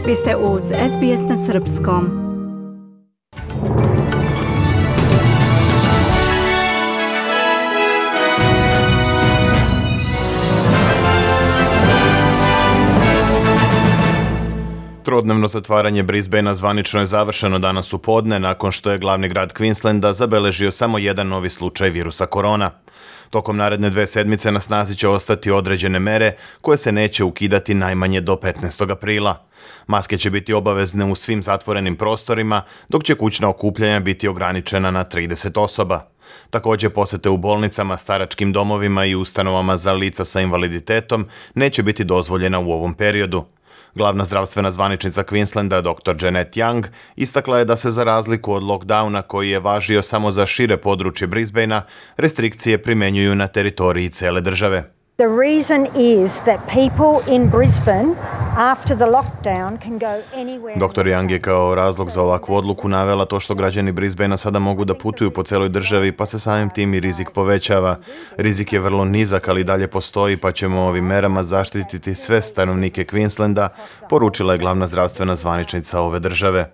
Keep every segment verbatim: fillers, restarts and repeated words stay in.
Vi ste uz S B S na srpskom. Trodnevno zatvaranje Brisbanea zvanično je završeno danas u podne nakon što je glavni grad Queenslanda zabeležio samo jedan novi slučaj virusa korona. Tokom naredne dve sedmice na snazi će ostati određene mere koje se neće ukidati najmanje do petnaestog aprila. Maske će biti obavezne u svim zatvorenim prostorima, dok će kućna okupljanja biti ograničena na trideset osoba. Također posete u bolnicama, staračkim domovima i ustanovama za lica sa invaliditetom neće biti dozvoljena u ovom periodu. Glavna zdravstvena zvaničnica Queenslanda, doktor Janet Young, istakla je da se za razliku od lockdowna koji je važio samo za šire područje Brisbanea, restrikcije primjenjuju na teritoriji cele države. The reason is that people in Brisbane after the lockdown can go anywhere. doktor Young je kao razlog za ovakvu odluku navela to što građani Brisbanea sada mogu da putuju po celoj državi, pa se samim tim i rizik povećava. Rizik je vrlo nizak, ali dalje postoji, pa ćemo ovim merama zaštititi sve stanovnike Queenslanda, poručila je glavna zdravstvena zvaničnica ove države.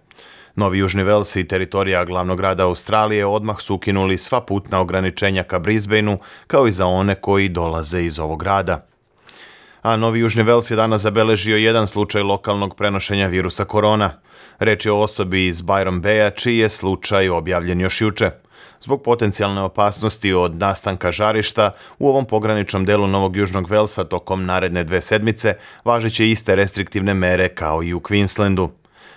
Novi Južni Vels i teritorija glavnog grada Australije odmah su ukinuli sva putna ograničenja ka Brisbaneu, kao i za one koji dolaze iz ovog grada. A Novi Južni Vels je danas zabeležio jedan slučaj lokalnog prenošenja virusa korona. Reč je o osobi iz Byron Baya, čiji je slučaj objavljen još juče. Zbog potencijalne opasnosti od nastanka žarišta, u ovom pograničnom delu Novog Južnog Velsa tokom naredne dve sedmice važeće iste restriktivne mere kao i u Queenslandu.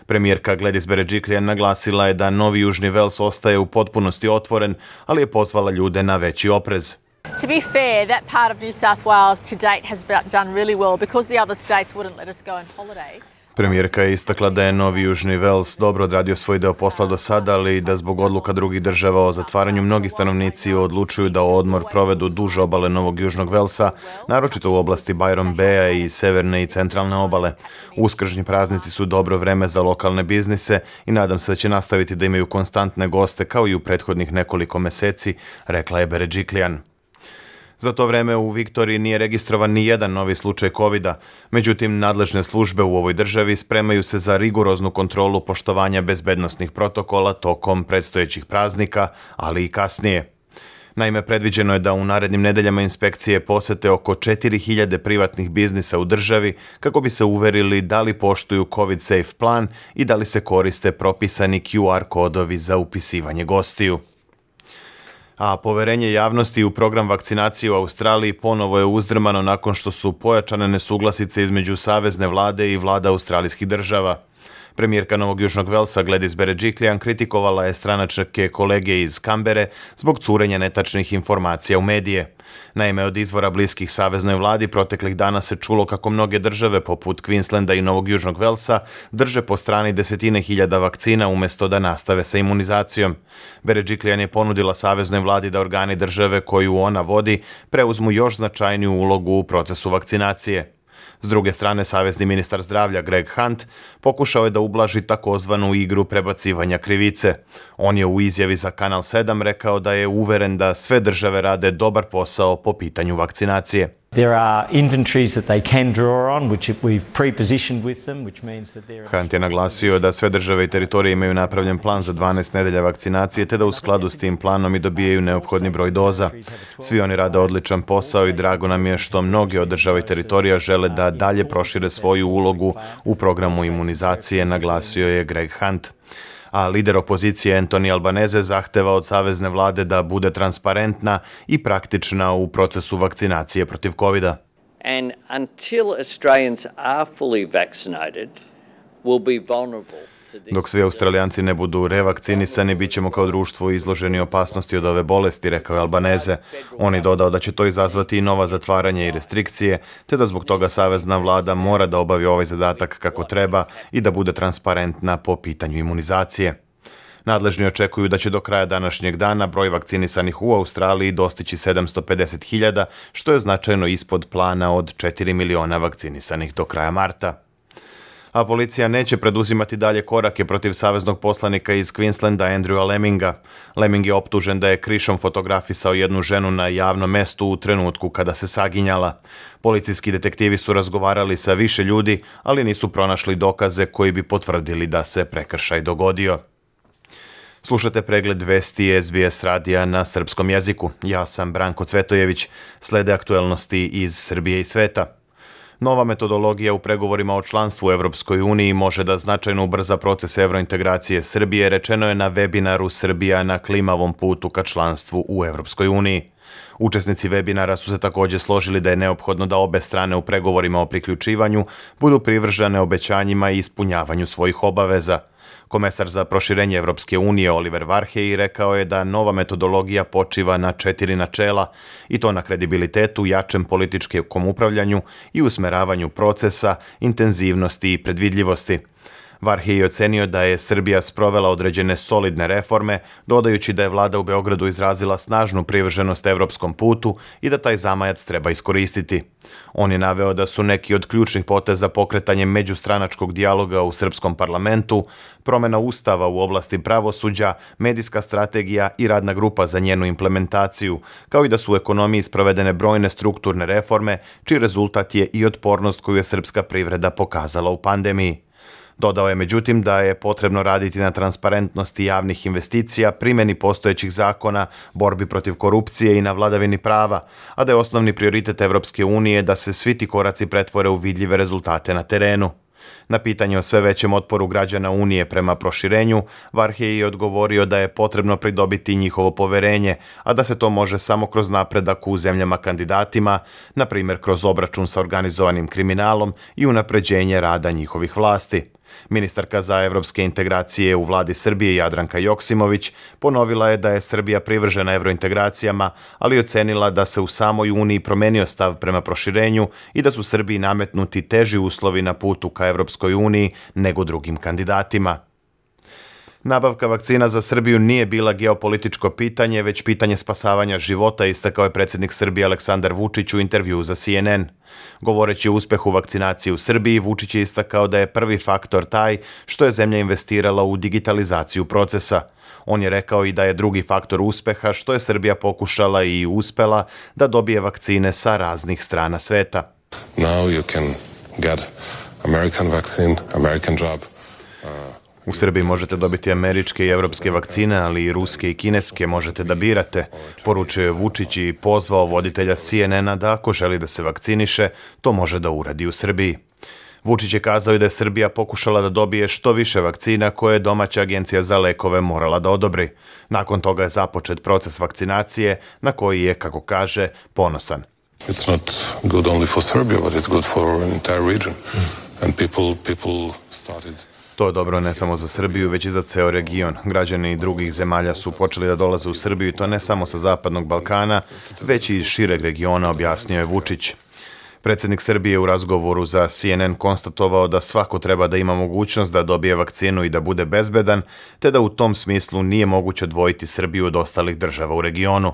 Premijerka Gladys Berejiklian naglasila je da Novi Južni Vels ostaje u potpunosti otvoren, ali je pozvala ljude na veći oprez. To be fair, that part of New South Wales to date has done really well because the other states wouldn't let us go on holiday. Premijerka je istakla da je Novi Južni Vels dobro odradio svoj deo posla do sada, ali da zbog odluka drugih država o zatvaranju mnogi stanovnici odlučuju da odmor provedu duže obale Novog Južnog Velsa, naročito u oblasti Byron Baya i severne i centralne obale. Uskršnji praznici su dobro vreme za lokalne biznise i nadam se da će nastaviti da imaju konstantne goste kao i u prethodnih nekoliko meseci, rekla je Berejiklian. Za to vreme u Viktoriji nije registrovan ni jedan novi slučaj kovida, međutim nadležne službe u ovoj državi spremaju se za rigoroznu kontrolu poštovanja bezbednosnih protokola tokom predstojećih praznika, ali i kasnije. Naime, predviđeno je da u narednim nedeljama inspekcije posete oko četiri hiljade privatnih biznisa u državi kako bi se uverili da li poštuju COVID safe plan i da li se koriste propisani Q R kodovi za upisivanje gostiju. A poverenje javnosti u program vakcinacije u Australiji ponovo je uzdrmano nakon što su pojačane nesuglasice između savezne vlade i vlada australijskih država. Premijerka Novog Južnog Velsa Gladys Berejiklian kritikovala je stranačke kolege iz Kambere zbog curenja netačnih informacija u medije. Naime, od izvora bliskih saveznoj vladi proteklih dana se čulo kako mnoge države poput Queenslanda i Novog Južnog Velsa drže po strani desetine hiljada vakcina umjesto da nastave sa imunizacijom. Berejiklian je ponudila saveznoj vladi da organi države koju ona vodi preuzmu još značajniju ulogu u procesu vakcinacije. S druge strane, savezni ministar zdravlja Greg Hunt pokušao je da ublaži takozvanu igru prebacivanja krivice. On je u izjavi za Kanal sedam rekao da je uveren da sve države rade dobar posao po pitanju vakcinacije. There are inventories that they can draw on, which we've pre-positioned with them, which means that they're... Hunt je naglasio da sve države i teritorije imaju napravljen plan za dvanaest nedelja vakcinacije, te da u skladu s tim planom i dobijaju neophodni broj doza. Svi oni rade odličan posao i drago nam je što mnoge od država i teritorija žele da dalje prošire svoju ulogu u programu imunizacije, naglasio je Greg Hunt. A lider opozicije Anthony Albanese zahteva od savezne vlade da bude transparentna i praktična u procesu vakcinacije protiv kovida. And until Australians are fully vaccinated, we'll be vulnerable. Dok svi Australijanci ne budu revakcinisani, bit ćemo kao društvo izloženi opasnosti od ove bolesti, rekao je Albanese. On je dodao da će to izazvati i nova zatvaranja i restrikcije, te da zbog toga savezna vlada mora da obavi ovaj zadatak kako treba i da bude transparentna po pitanju imunizacije. Nadležni očekuju da će do kraja današnjeg dana broj vakcinisanih u Australiji dostići sedamsto pedeset hiljada, što je značajno ispod plana od četiri miliona vakcinisanih do kraja marta. A policija neće preduzimati dalje korake protiv saveznog poslanika iz Queenslanda Andrewa Lemminga. Lemming je optužen da je krišom fotografisao jednu ženu na javnom mestu u trenutku kada se saginjala. Policijski detektivi su razgovarali sa više ljudi, ali nisu pronašli dokaze koji bi potvrdili da se prekršaj dogodio. Slušate pregled vesti S B S radija na srpskom jeziku. Ja sam Branko Cvetojević. Slede aktuelnosti iz Srbije i sveta. Nova metodologija u pregovorima o članstvu u Evropskoj uniji može da značajno ubrza proces evrointegracije Srbije, rečeno je na webinaru Srbija na klimavom putu ka članstvu u Evropskoj uniji. Učesnici webinara su se također složili da je neophodno da obe strane u pregovorima o priključivanju budu privržene obećanjima i ispunjavanju svojih obaveza. Komesar za proširenje Evropske unije Oliver Varhelyi rekao je da nova metodologija počiva na četiri načela, i to na kredibilitetu, jačem političkom upravljanju i usmeravanju procesa, intenzivnosti i predvidljivosti. Varhelyi je ocenio da je Srbija sprovela određene solidne reforme, dodajući da je vlada u Beogradu izrazila snažnu privrženost evropskom putu i da taj zamajac treba iskoristiti. On je naveo da su neki od ključnih poteza pokretanje međustranačkog dijaloga u srpskom parlamentu, promjena ustava u oblasti pravosuđa, medijska strategija i radna grupa za njenu implementaciju, kao i da su u ekonomiji sprovedene brojne strukturne reforme, čiji rezultat je i otpornost koju je srpska privreda pokazala u pandemiji. Dodao je međutim da je potrebno raditi na transparentnosti javnih investicija, primjeni postojećih zakona, borbi protiv korupcije i na vladavini prava, a da je osnovni prioritet Evropske unije da se svi ti koraci pretvore u vidljive rezultate na terenu. Na pitanje o sve većem otporu građana Unije prema proširenju, Varhelyi je odgovorio da je potrebno pridobiti njihovo poverenje, a da se to može samo kroz napredak u zemljama kandidatima, na primjer kroz obračun sa organizovanim kriminalom i unapređenje rada njihovih vlasti. Ministarka za evropske integracije u vladi Srbije Jadranka Joksimović ponovila je da je Srbija privržena evrointegracijama, ali ocenila da se u samoj Uniji promenio stav prema proširenju i da su Srbiji nametnuti teži uslovi na putu ka Evropskoj uniji nego drugim kandidatima. Nabavka vakcina za Srbiju nije bila geopolitičko pitanje, već pitanje spasavanja života, istakao je predsjednik Srbije Aleksandar Vučić u intervjuu za C N N. Govoreći o uspehu vakcinacije u Srbiji, Vučić je istakao da je prvi faktor taj što je zemlja investirala u digitalizaciju procesa. On je rekao i da je drugi faktor uspeha što je Srbija pokušala i uspela da dobije vakcine sa raznih strana sveta. Now you can get American vaccine, American job. U Srbiji možete dobiti američke i evropske vakcine, ali i ruske i kineske možete da birate, poručio je Vučić i pozvao voditelja C N N-a da ako želi da se vakciniše, to može da uradi u Srbiji. Vučić je kazao i da je Srbija pokušala da dobije što više vakcina koje je domaća agencija za lekove morala da odobri. Nakon toga je započet proces vakcinacije na koji je, kako kaže, ponosan. It's not good only for Serbia, but it's good for an entire region. And people, people started... To je dobro ne samo za Srbiju, već i za ceo region. Građani drugih zemalja su počeli da dolaze u Srbiju i to ne samo sa Zapadnog Balkana, već i iz šireg regiona, objasnio je Vučić. Predsjednik Srbije u razgovoru za C N N konstatovao da svako treba da ima mogućnost da dobije vakcinu i da bude bezbedan, te da u tom smislu nije moguće odvojiti Srbiju od ostalih država u regionu.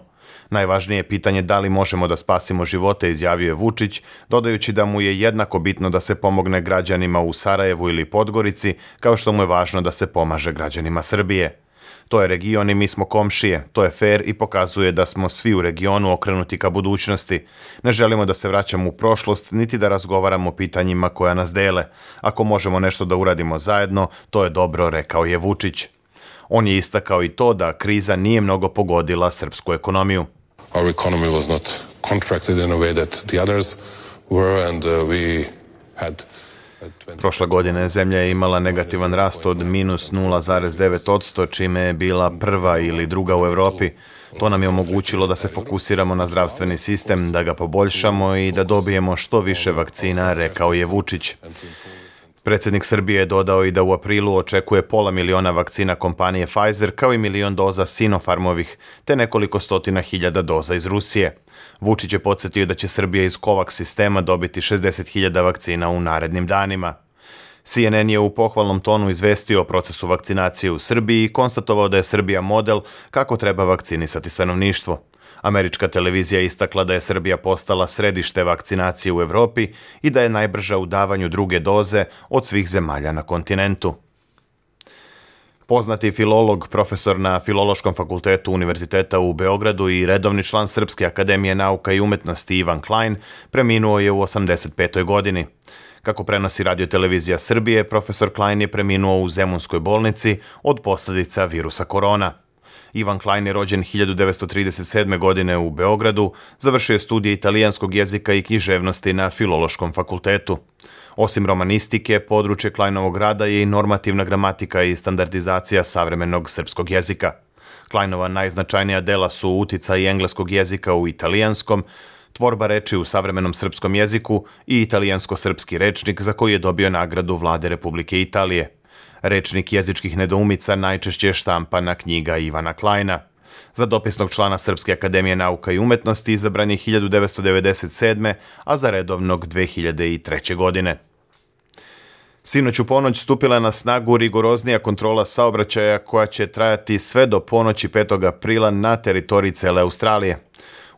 Najvažnije je pitanje da li možemo da spasimo živote, izjavio je Vučić, dodajući da mu je jednako bitno da se pomogne građanima u Sarajevu ili Podgorici, kao što mu je važno da se pomaže građanima Srbije. To je region i mi smo komšije, to je fer i pokazuje da smo svi u regionu okrenuti ka budućnosti. Ne želimo da se vraćamo u prošlost, niti da razgovaramo o pitanjima koja nas dele. Ako možemo nešto da uradimo zajedno, to je dobro, rekao je Vučić. On je istakao i to da kriza nije mnogo pogodila srpsku ekonomiju. Our economy was not contracted in a way that the others were, and uh, we had... Prošle godine zemlja je imala negativan rast od minus nula zarez devet posto, čime je bila prva ili druga u Evropi. To nam je omogućilo da se fokusiramo na zdravstveni sistem, da ga poboljšamo i da dobijemo što više vakcina, rekao je Vučić. Predsjednik Srbije je dodao i da u aprilu očekuje pola miliona vakcina kompanije Pfizer, kao i milion doza Sinopharmovih, te nekoliko stotina hiljada doza iz Rusije. Vučić je podsjetio da će Srbija iz COVAX sistema dobiti šezdeset hiljada vakcina u narednim danima. C N N je u pohvalnom tonu izvestio o procesu vakcinacije u Srbiji i konstatovao da je Srbija model kako treba vakcinisati stanovništvo. Američka televizija istakla da je Srbija postala središte vakcinacije u Evropi i da je najbrža u davanju druge doze od svih zemalja na kontinentu. Poznati filolog, profesor na Filološkom fakultetu Univerziteta u Beogradu i redovni član Srpske akademije nauka i umetnosti Ivan Klein preminuo je u osamdeset petoj godini. Kako prenosi radiotelevizija Srbije, profesor Klein je preminuo u Zemunskoj bolnici od posljedica virusa korona. Ivan Klein je rođen hiljadu devetsto trideset sedme. godine u Beogradu, završio je studije italijanskog jezika i književnosti na Filološkom fakultetu. Osim romanistike, područje Kleinovog rada je i normativna gramatika i standardizacija savremenog srpskog jezika. Kleinova najznačajnija dela su uticaj engleskog jezika u italijanskom, tvorba reči u savremenom srpskom jeziku i italijansko-srpski rečnik za koji je dobio nagradu Vlade Republike Italije. Rečnik jezičkih nedoumica najčešće je štampana knjiga Ivana Kleina. Za dopisnog člana Srpske akademije nauka i umetnosti izabran je hiljadu devetsto devedeset sedme. a za redovnog dve hiljade treće. godine. Sinoć u ponoć stupila na snagu rigoroznija kontrola saobraćaja koja će trajati sve do ponoći petog aprila na teritoriji cele Australije.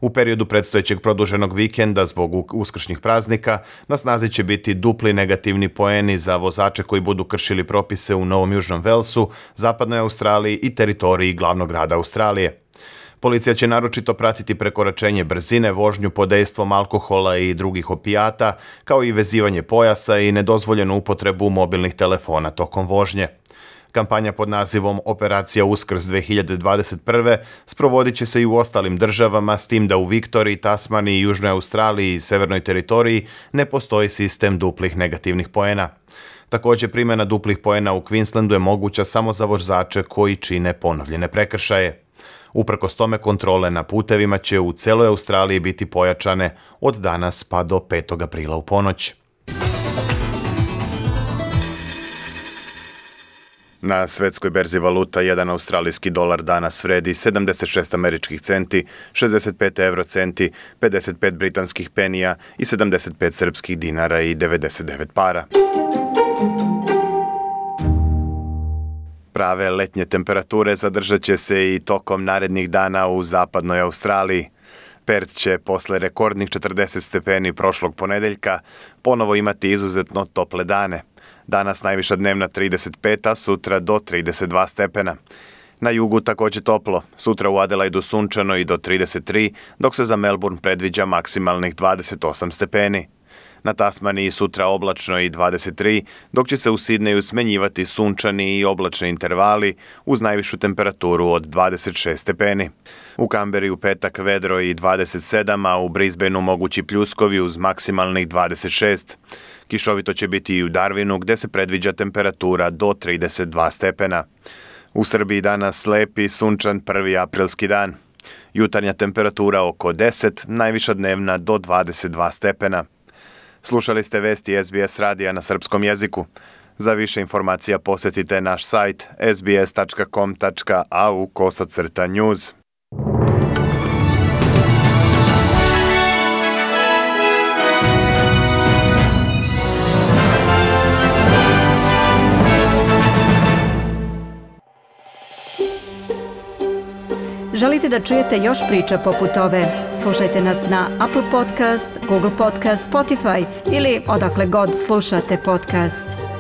U periodu predstojećeg produženog vikenda zbog uskršnjih praznika na snazi će biti dupli negativni poeni za vozače koji budu kršili propise u Novom Južnom Velsu, Zapadnoj Australiji i teritoriji glavnog grada Australije. Policija će naročito pratiti prekoračenje brzine, vožnju pod dejstvom alkohola i drugih opijata, kao i vezivanje pojasa i nedozvoljenu upotrebu mobilnih telefona tokom vožnje. Kampanja pod nazivom Operacija Uskrs dve hiljade dvadeset prve. sprovodit će se i u ostalim državama, s tim da u Viktoriji, Tasmaniji, Južnoj Australiji i Severnoj teritoriji ne postoji sistem duplih negativnih poena. Također, primjena duplih poena u Queenslandu je moguća samo za vozače koji čine ponovljene prekršaje. Uprkos tome, kontrole na putevima će u celoj Australiji biti pojačane od danas pa do petog aprila u ponoć. Na svetskoj berzi valuta jedan australijski dolar danas vredi sedamdeset šest američkih centi, šezdeset pet eurocenti, pedeset pet britanskih penija i sedamdeset pet srpskih dinara i devedeset devet para. Prave letnje temperature zadržat će se i tokom narednih dana u zapadnoj Australiji. Perth će posle rekordnih četrdeset stepeni prošlog ponedeljka ponovo imati izuzetno tople dane. Danas najviša dnevna trideset pet, a sutra do trideset dva stepena. Na jugu također toplo, sutra u Adelaidu sunčano i do trideset tri, dok se za Melbourne predviđa maksimalnih dvadeset osam stepeni. Na Tasmaniji sutra oblačno i dvadeset tri, dok će se u Sidneju smenjivati sunčani i oblačni intervali uz najvišu temperaturu od dvadeset šest stepeni. U Kamberi u petak vedro i dvadeset sedam, a u Brisbaneu mogući pljuskovi uz maksimalnih dvadeset šest. Kišovito će biti i u Darwinu, gde se predviđa temperatura do trideset dva stepena. U Srbiji danas lepi, sunčan prvi aprilski dan. Jutarnja temperatura oko deset, najviša dnevna do dvadeset dva stepena. Slušali ste vesti S B S radija na srpskom jeziku. Za više informacija posjetite naš sajt s b s tačka com tačka a u kosacrta news. Želite da čujete još priča poput ove? Slušajte nas na Apple Podcast, Google Podcast, Spotify ili odakle god slušate podcast.